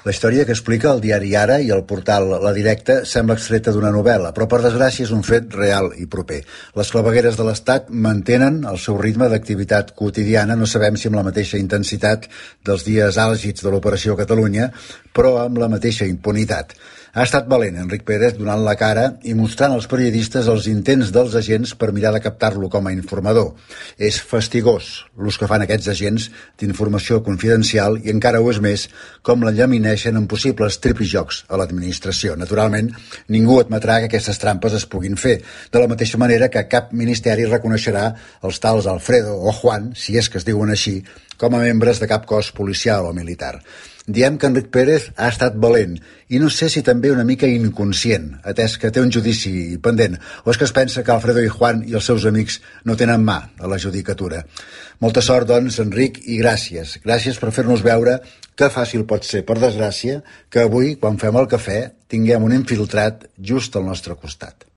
La història que explica el diari Ara i el portal La Directa sembla extreta d'una novel·la, però per desgràcia és un fet real i proper. Les clavegueres de l'Estat mantenen el seu ritme d'activitat quotidiana, no sabem si amb la mateixa intensitat dels dies àlgids de l'Operació Catalunya, però amb la mateixa impunitat. Ha estat valent Enric Pérez donant la cara i mostrant als periodistes els intents dels agents per mirar de captar-lo com a informador. És fastigós l'ús que fan aquests agents d'informació confidencial i encara ho és més com l'enllamineixen en possibles tripijocs a l'administració. Naturalment, ningú admetrà que aquestes trampes es puguin fer, de la mateixa manera que cap ministeri reconeixerà els tals Alfredo o Juan, si és que es diuen així, com a membres de cap cos policial o militar. Diem que Enric Pérez ha estat valent i no sé si també una mica inconscient, atès que té un judici pendent, o és que es pensa que Alfredo i Juan i els seus amics no tenen mà a la judicatura. Molta sort, doncs, Enric, i gràcies. Gràcies per fer-nos veure que fàcil pot ser, per desgràcia, que avui, quan fem el cafè, tinguem un infiltrat just al nostre costat.